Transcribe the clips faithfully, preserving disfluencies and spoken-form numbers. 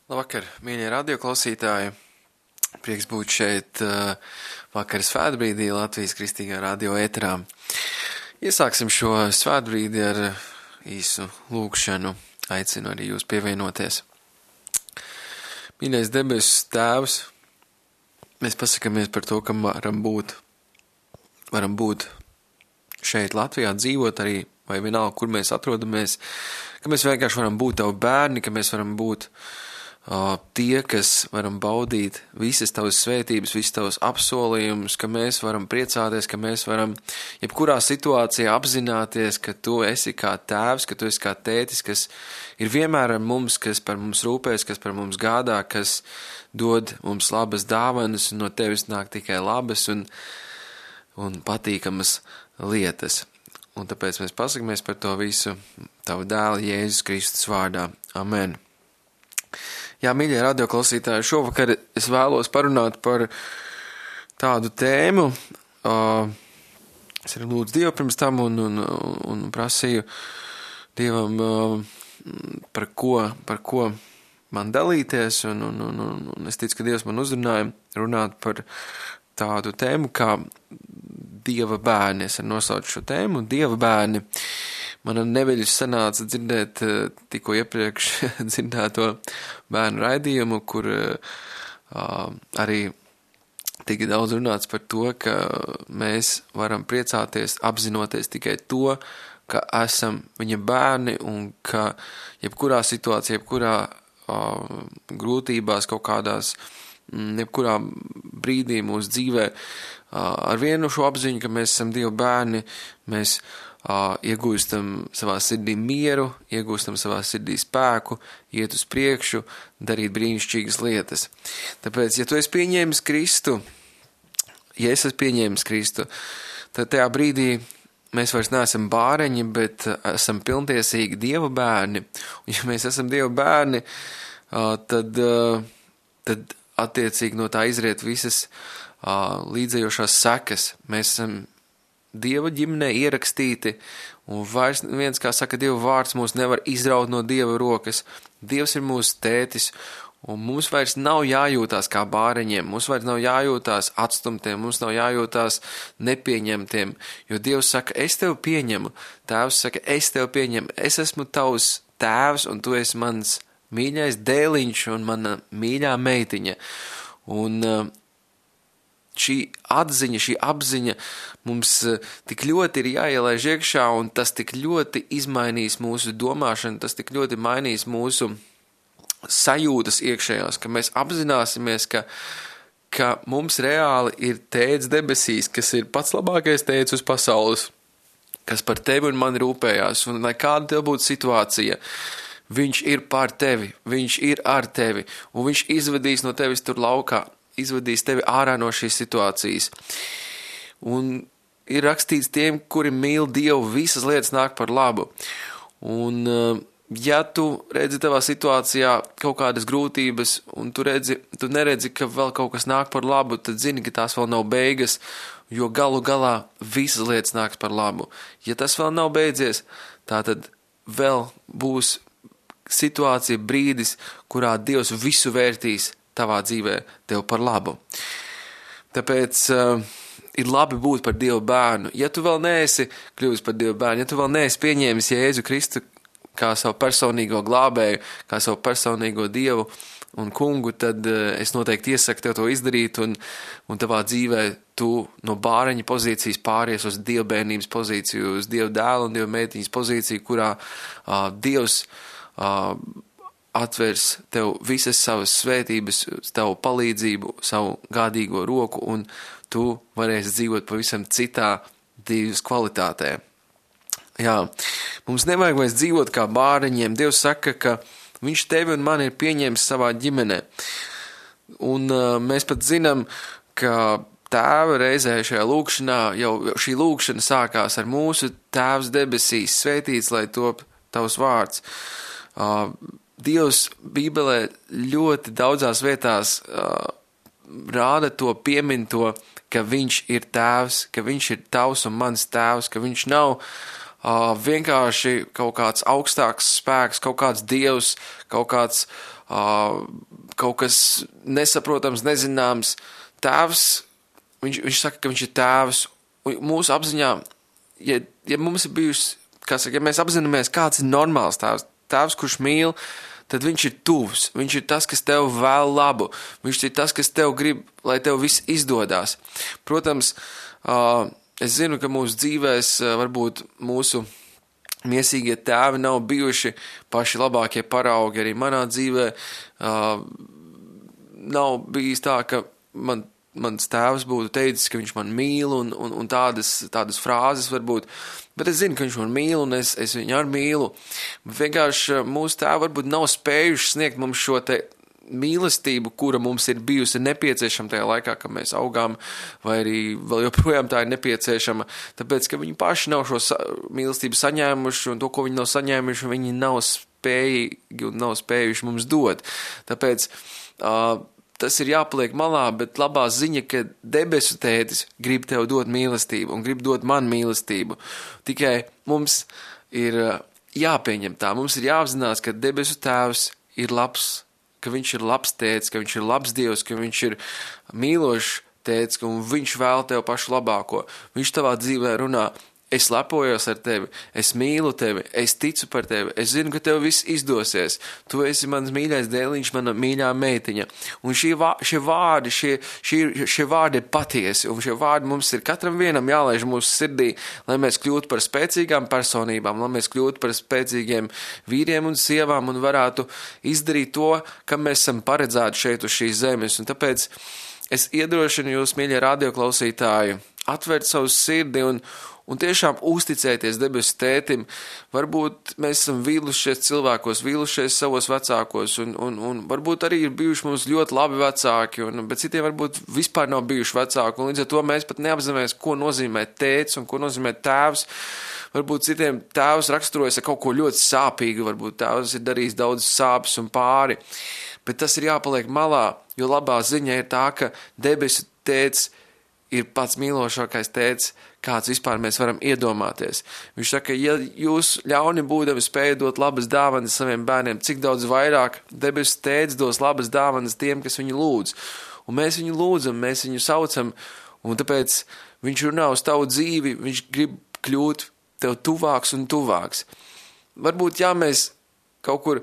Labvakar, mīļie radioklausītāji! Prieks būt šeit uh, vakar svētbrīdī Latvijas Kristīgā radio ēterā. Iesāksim šo svētbrīdi ar īsu lūgšanu. Aicinu arī jūs pievienoties. Mīļais debesu Tēvs, mēs pasakamies par to, ka varam būt, varam būt šeit Latvijā, dzīvot arī, vai vienalga, kur mēs atrodamies, ka mēs vienkārši varam būt tavi bērni, ka mēs varam būt Uh, tie, kas varam baudīt visas tavas svētības, visas tavas apsolījumus, ka mēs varam priecāties, ka mēs varam jebkurā situācijā apzināties, ka tu esi kā tēvs, ka tu esi kā tētis, kas ir vienmēr ar mums, kas par mums rūpēs, kas par mums gādā, kas dod mums labas dāvanas, un no tevis nāk tikai labas un, un patīkamas lietas. Un tāpēc mēs pasakamies par to visu tavu dēlu Jēzus Kristus vārdā. Amen. Jā, mīļie radioklausītāji, šovakar es vēlos parunāt par tādu tēmu. Uh, es arī lūdzu Dievu pirms tam un, un, un prasīju Dievam, uh, par, ko, par ko man dalīties. Un, un, un, un es ticu, ka Dievs man uzrunāja runāt par tādu tēmu kā Dieva bērni. Es arī nosaucu šo tēmu Dieva bērni. Man neveļus sanāca dzirdēt tikko iepriekš dzirdēto bērnu raidījumu, kur uh, arī tika daudz runāts par to, ka mēs varam priecāties, apzinoties tikai to, ka esam viņa bērni un ka jebkurā situācijā, jebkurā uh, grūtībās, kaut kādās, jebkurā brīdī mūsu dzīvē uh, ar vienu šo apziņu, ka mēs esam Dieva bērni, mēs Uh, iegūstam savā sirdī mieru, iegūstam savā sirdī spēku, iet uz priekšu, darīt brīnišķīgas lietas. Tāpēc, ja tu esi pieņēmis Kristu, ja es esmu pieņēmis Kristu, tad tajā brīdī mēs vairs neesam bāreņi, bet esam pilntiesīgi Dieva bērni. Un ja mēs esam Dieva bērni, uh, tad, uh, tad attiecīgi no tā izriet visas uh, līdzējošās sekas. Mēs esam Dieva ģimenē ierakstīti, un vairs viens, kā saka, Dieva vārds mūs nevar izraut no Dieva rokas. Dievs ir mūsu tētis, un mums vairs nav jājūtās kā bāreņiem, mums vairs nav jājūtās atstumtiem, mums nav jājūtās nepieņemtiem, jo Dievs saka, es tevi pieņemu, Tēvs saka, es tevi pieņemu, es esmu tavs tēvs, un tu esi mans mīļais dēliņš un mana mīļā meitiņa. Un uh, šī atziņa, šī apziņa mums tik ļoti ir jāielaiž iekšā, un tas tik ļoti izmainīs mūsu domāšanu, tas tik ļoti mainīs mūsu sajūtas iekšējās, ka mēs apzināsimies, ka, ka mums reāli ir tēvs debesīs, kas ir pats labākais tēvs uz pasaules, kas par tevi un mani rūpējās, un lai kāda tev būtu situācija, viņš ir par tevi, viņš ir ar tevi, un viņš izvedīs no tevis tur laukā, izvadīs tevi ārā no šīs situācijas. Un ir rakstīts tiem, kuri mīl Dievu, visas lietas nāk par labu. Un ja tu redzi tavā situācijā kaut kādas grūtības, un tu, redzi, tu neredzi, ka vēl kaut kas nāk par labu, tad zini, ka tās vēl nav beigas, jo galu galā visas lietas nāks par labu. Ja tas vēl nav beidzies, tā tad vēl būs situācija, brīdis, kurā Dievs visu vērtīs tavā dzīvē tev par labu. Tāpēc uh, ir labi būt par Dieva bērnu. Ja tu vēl neesi kļuvis par Dieva bērnu, ja tu vēl neesi pieņēmis Jēzu Kristu kā savu personīgo glābēju, kā savu personīgo Dievu un kungu, tad uh, es noteikti iesaku tev to izdarīt, un, un tavā dzīvē tu no bāreņa pozīcijas pāries uz Dieva bērnības pozīciju, uz Dieva dēla un Dieva meitiņas pozīciju, kurā uh, Dievs uh, atvers tev visas savas svētības, tavu palīdzību, savu gādīgo roku, un tu varēsi dzīvot pavisam citā dzīves kvalitātē. Jā, mums nevajag vairs dzīvot kā bāreņiem. Dievs saka, ka viņš tevi un mani ir pieņēmis savā ģimenē. Un uh, mēs pat zinām, ka Tēva reizē šajā lūkšanā, jau šī lūkšana sākās ar mūsu Tēvs debesīs, svētīts, lai top tavs vārds. Uh, Dievs Bībelē ļoti daudzās vietās uh, rāda to, piemin to, ka viņš ir tēvs, ka viņš ir tavs un mans tēvs, ka viņš nav uh, vienkārši kaut kāds augstāks spēks, kaut kāds dievs, kaut kāds uh, kaut kas nesaprotams, nezināms. Tēvs, viņš, viņš saka, ka viņš ir tēvs. Mūsu apziņā, ja, ja mums ir bijusi, kā saka, ja mēs apzināmies, kāds ir normāls tēvs, tēvs, kurš mīl, tad viņš ir tuvs, viņš ir tas, kas tev vēl labu, viņš ir tas, kas tev grib, lai tev viss izdodās. Protams, uh, es zinu, ka mūsu dzīvēs uh, varbūt mūsu miesīgie tēvi nav bijuši paši labākie paraugi, arī manā dzīvē uh, nav bijis tā, ka man mans tēvs būtu teicis, ka viņš man mīl un, un, un tādas, tādas frāzes varbūt, bet es zinu, ka viņš man mīl un es, es viņu arī mīlu. Vienkārši mūsu tēvi varbūt nav spējuši sniegt mums šo te mīlestību, kura mums ir bijusi nepieciešama tajā laikā, kad mēs augām, vai arī vēl joprojām tā ir nepieciešama, tāpēc, ka viņi paši nav šo sa- mīlestību saņēmuši un to, ko viņi nav saņēmuši, viņi nav spējīgi un nav spējuši mums dot. Tāpēc, uh, tas ir jāpaliek malā, bet labā ziņa, ka debesu tētis grib tev dot mīlestību un grib dot man mīlestību. Tikai mums ir jāpieņem tā, mums ir jāapzinās, ka debesu tēvs ir labs, ka viņš ir labs tētis, ka viņš ir labs Dievs, ka viņš ir mīlošs tētis, un viņš vēl tev pašu labāko. Viņš tavā dzīvē runā, es lepojos ar tevi, es mīlu tevi, es ticu par tevi, es zinu, ka tev viss izdosies. Tu esi mans mīļais dēliņš, mana mīļā meitiņa. Un šie, vā, šie vārdi, šie, šie, šie vārdi ir patiesi, un šie vārdi mums ir katram vienam jālaiž mūsu sirdī, lai mēs kļūtu par spēcīgām personībām, lai mēs kļūtu par spēcīgiem vīriem un sievām un varētu izdarīt to, kam mēs esam paredzēti šeit uz šīs zemes. Un tāpēc es iedrošinu jūs, mīļie radioklausītāji, atvērt savu sirdi un Un tiešām uzticēties debesu tētim. Varbūt mēs esam vīlušies cilvēkos, vīlušies savos vecākos, un, un, un varbūt arī ir bijuši mums ļoti labi vecāki, un, bet citiem varbūt vispār nav bijuši vecāki, un līdz ar to mēs pat neapzināmies, ko nozīmē tēts un ko nozīmē tēvs. Varbūt citiem tēvs raksturojas ar kaut ko ļoti sāpīgu, varbūt tēvs ir darījis daudz sāpes un pāri, bet tas ir jāpaliek malā, jo labā ziņa ir tā, ka debesu tēts ir pats mīlošākais tēts, kāds vispār mēs varam iedomāties. Viņš saka, ja jūs ļauni būdami spējat dot labas dāvanas saviem bērniem, cik daudz vairāk debesu tēts dos labas dāvanas tiem, kas viņu lūdz. Un mēs viņu lūdzam, mēs viņu saucam, un tāpēc viņš runā uz tavu dzīvi, viņš grib kļūt tev tuvāks un tuvāks. Varbūt, ja mēs kaut kur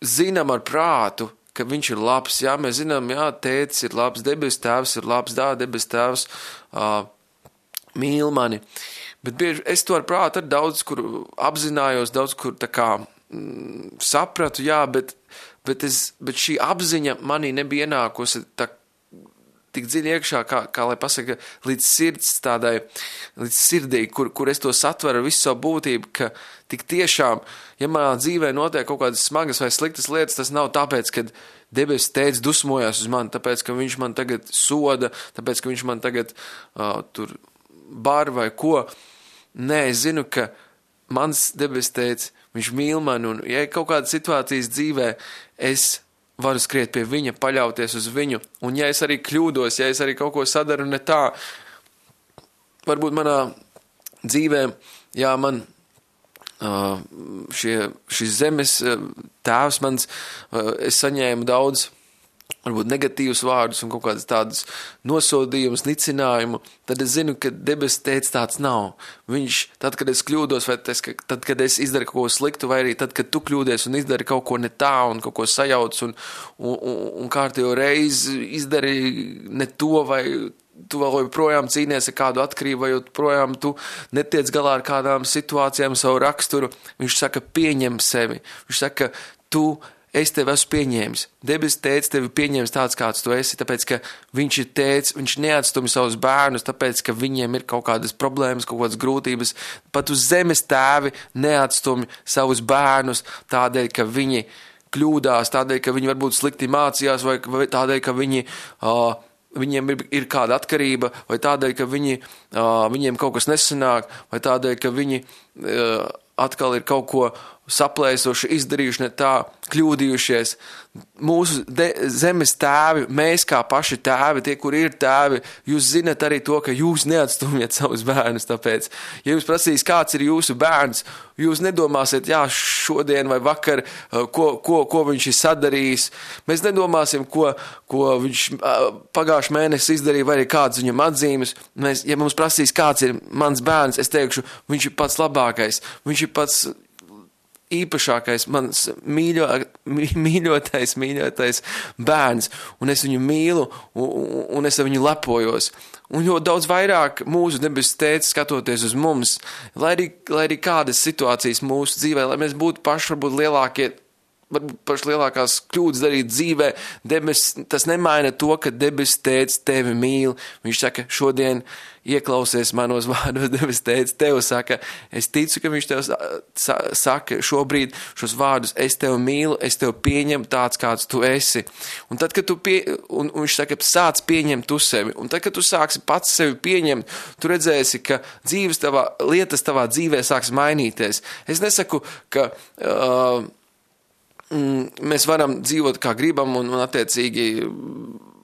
zinām ar prātu, ka viņš ir labs, jā, mēs zinām, jā, tētis ir labs, debes tēvs ir labs, dā, debes tēvs uh, mīl mani, bet bieži es to ar prātu ar daudz, kur apzinājos, daudz, kur tā kā mm, sapratu, jā, bet, bet, es, bet šī apziņa manī nebija ienākusi tā tik dziļi iekšā, kā, kā lai pasaka, līdz sirds tādai, līdz sirdī, kur, kur es to satveru visu savu būtību, ka tik tiešām, ja manā dzīvē notiek kaut kādas smagas vai sliktas lietas, tas nav tāpēc, ka debesu tētis dusmojās uz mani, tāpēc, ka viņš man tagad soda, tāpēc, ka viņš man tagad uh, tur bar vai ko. Nē, es zinu, ka mans debesu tētis, viņš mīl mani, un ja kaut kādas situācijas dzīvē, es varu skriet pie viņa, paļauties uz viņu, un ja es arī kļūdos, ja es arī kaut ko sadaru ne tā, varbūt manā dzīvē, jā, man uh, šie, šis zemes tēvs mans, uh, es saņēmu daudz, varbūt negatīvus vārdus un kaut kādas tādas nosodījumus, nicinājumu, tad es zinu, ka debesu tētis tāds nav. Viņš, tad, kad es kļūdos, vai tas, ka, tad, kad es izdaru kaut ko sliktu, vai arī tad, kad tu kļūdies un izdari kaut ko ne tā un kaut ko sajauc un, un, un, un kārtējo reizi izdari ne to, vai tu vēl joprojām cīnies ar kādu atkarību, vai joprojām tu netiec galā ar kādām situācijām savu raksturu, viņš saka, pieņem sevi. Viņš saka, tu es tevi esmu pieņēmis. Debes tētis tevi pieņēmis tāds, kāds tu esi, tāpēc, ka viņš ir tētis, viņš neatstumi savus bērnus, tāpēc, ka viņiem ir kaut kādas problēmas, kaut kādas grūtības. Pat uz zemes tēvi neatstumi savus bērnus tādēļ, ka viņi kļūdās, tādēļ, ka viņi varbūt slikti mācījās, vai, vai tādēļ, ka viņi, uh, viņiem ir, ir kāda atkarība, vai tādēļ, ka viņi, uh, viņiem kaut kas nesanāk, vai tādēļ, ka viņi uh, atkal ir kaut ko saplēsoši, izdarījuši ne tā, kļūdījušies. Mūsu de, zemes tēvi, mēs kā paši tēvi, tie, kuri ir tēvi, jūs zinat arī to, ka jūs neatstumiet savus bērnus, tāpēc, ja jums prasīs, kāds ir jūsu bērns, jūs nedomāsiet, jā, šodien vai vakar, ko, ko, ko viņš ir sadarījis. Mēs nedomāsim, ko, ko viņš pagājuši mēnesi izdarīja, vai arī kāds viņam atzīmes. Mēs, ja mums prasīs, kāds ir mans bērns, es teikšu, viņš ir pats labākais, viņš ir pats īpašākais, mans mīļo, mīļotais, mīļotais bērns, un es viņu mīlu, un, un es ar viņu lepojos. Un jo daudz vairāk mūsu debesu tēvs skatoties uz mums, lai arī, lai arī kādas situācijas mūsu dzīvē, lai mēs būtu paši varbūt lielākie, varbūt paši lielākās kļūdas darīt dzīvē, debes, tas nemaina to, ka debesu tēvs tevi mīl. Viņš saka, šodien ieklausies manos vārdos, debesu tēvs tev saka, es ticu, ka viņš tev saka šobrīd šos vārdus, es tev mīlu, es tev pieņemu tāds, kāds tu esi. Un tad, kad tu pie, un, un viņš saka, sāc pieņemt tu sevi, un tad, kad tu sāksi pats sevi pieņemt, tu redzēsi, ka dzīves tavā, lietas tavā dzīvē sāks mainīties. Es nesaku, ka uh, mēs varam dzīvot kā gribam un, un attiecīgi,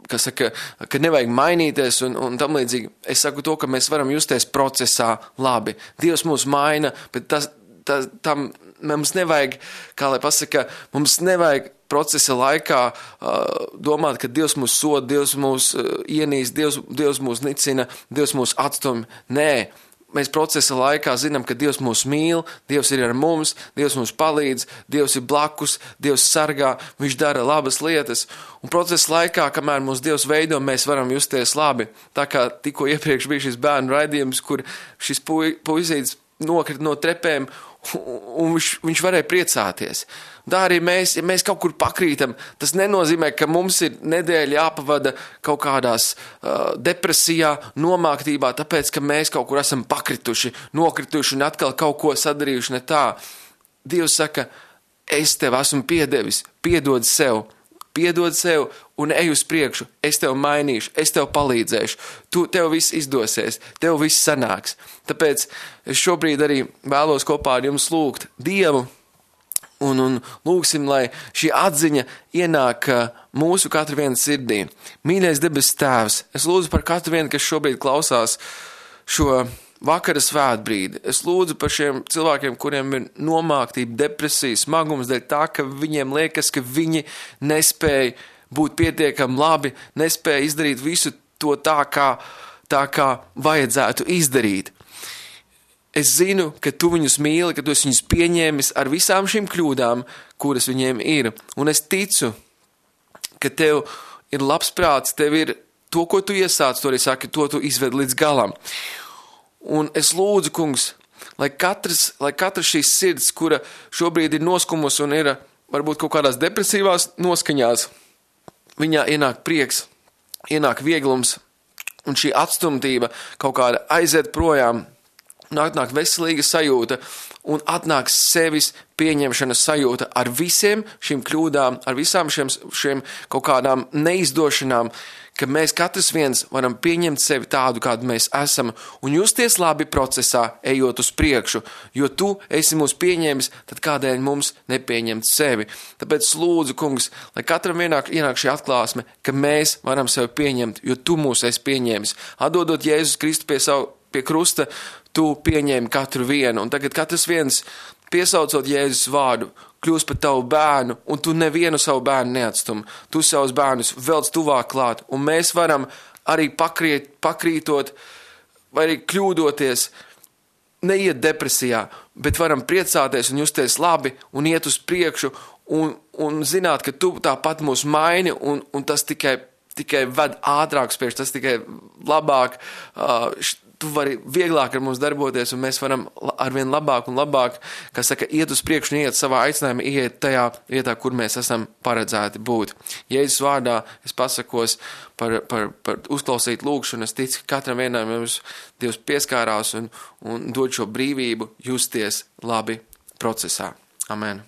kas saka, ka nevajag mainīties un, un tam līdzīgi. Es saku to, ka mēs varam justies procesā labi. Dievs mūs maina, bet tas, tas, tam mums nevajag, kā lai pasaka, mums nevajag procesa laikā uh, domāt, ka Dievs mūs soda, Dievs mūs uh, ienīst, Dievs, Dievs mūs nicina, Dievs mūs atstum. Nē. Mēs procesa laikā zinām, ka Dievs mūs mīl, Dievs ir ar mums, Dievs mums palīdz, Dievs ir blakus, Dievs sargā, Viņš dara labas lietas. Un procesa laikā, kamēr mūs Dievs veido, mēs varam justies labi. Tā kā tikko iepriekš bija šis bērnu raidījums, kur šis puisītis nokrita no trepēm, un viņš, viņš varēja priecāties. Tā arī mēs, ja mēs kaut kur pakrītam, tas nenozīmē, ka mums ir nedēļa jāpavada kaut kādās uh, depresijā, nomāktībā, tāpēc, ka mēs kaut kur esam pakrituši, nokrituši un atkal kaut ko sadarījuši ne tā. Dievs saka, es tev esmu piedevis, piedod sev, piedod sev un ej uz priekšu, es tev mainīšu, es tev palīdzēšu, tu, tev viss izdosies, tev viss sanāks. Tāpēc es šobrīd arī vēlos kopā ar jums lūgt Dievu, Un, un lūgsim, lai šī atziņa ienāk mūsu katru vienu sirdī. Mīļais debes tēvs, es lūdzu par katru vienu, kas šobrīd klausās šo vakara svētbrīdi. Es lūdzu par šiem cilvēkiem, kuriem ir nomāktība, depresija, smagums dēļ tā, ka viņiem liekas, ka viņi nespēja būt pietiekami labi, nespēja izdarīt visu to tā, kā, tā kā vajadzētu izdarīt. Es zinu, ka tu viņus mīli, ka tu esi viņus pieņēmis ar visām šīm kļūdām, kuras viņiem ir. Un es ticu, ka tev ir labs prāts, tev ir to, ko tu iesāc, to arī saki, to tu izved līdz galam. Un es lūdzu, kungs, lai katrs, lai katrs šīs sirds, kura šobrīd ir noskumus un ir varbūt kaut kādās depresīvās noskaņās, viņā ienāk prieks, ienāk vieglums, un šī atstumtība kaut kāda aiziet projām, un atnāk veselīga sajūta, un atnāk sevis pieņemšanas sajūta ar visiem šīm kļūdām, ar visām šiem, šiem kaut kādām neizdošanām, ka mēs katrs viens varam pieņemt sevi tādu, kādu mēs esam, un justies labi procesā, ejot uz priekšu, jo tu esi mūs pieņēmis, tad kādēļ mums nepieņemt sevi. Tāpēc lūdzu, kungs, lai katram ienāk, ienāk šī atklāsme, ka mēs varam sevi pieņemt, jo tu mūs esi pieņēmis. Atdodot Jēzus Kristu pie savu pie krusta, tu pieņēmi katru vienu, un tagad katrs viens, piesaucot Jēzus vārdu, kļūst par tavu bērnu, un tu nevienu savu bērnu neatstum. Tu savus bērnus velc tuvāk klāt, un mēs varam arī pakrīt, pakrītot, vai arī kļūdoties, neiet depresijā, bet varam priecāties un justies labi, un iet uz priekšu, un, un zināt, ka tu tāpat mūs maini, un, un tas tikai, tikai ved ātrāk spiež, tas tikai labāk, uh, tu vari vieglāk ar mums darboties, un mēs varam arvien labāk un labāk, kā saka, iet uz priekšu un iet savā aicinājumā, iet tajā vietā, kur mēs esam paredzēti būt. Jēzus vārdā es pasakos par, par, par uzklausīt lūgšanu, es ticu, ka katram vienam mums Dievs pieskārās un, un dod šo brīvību justies labi procesā. Amen.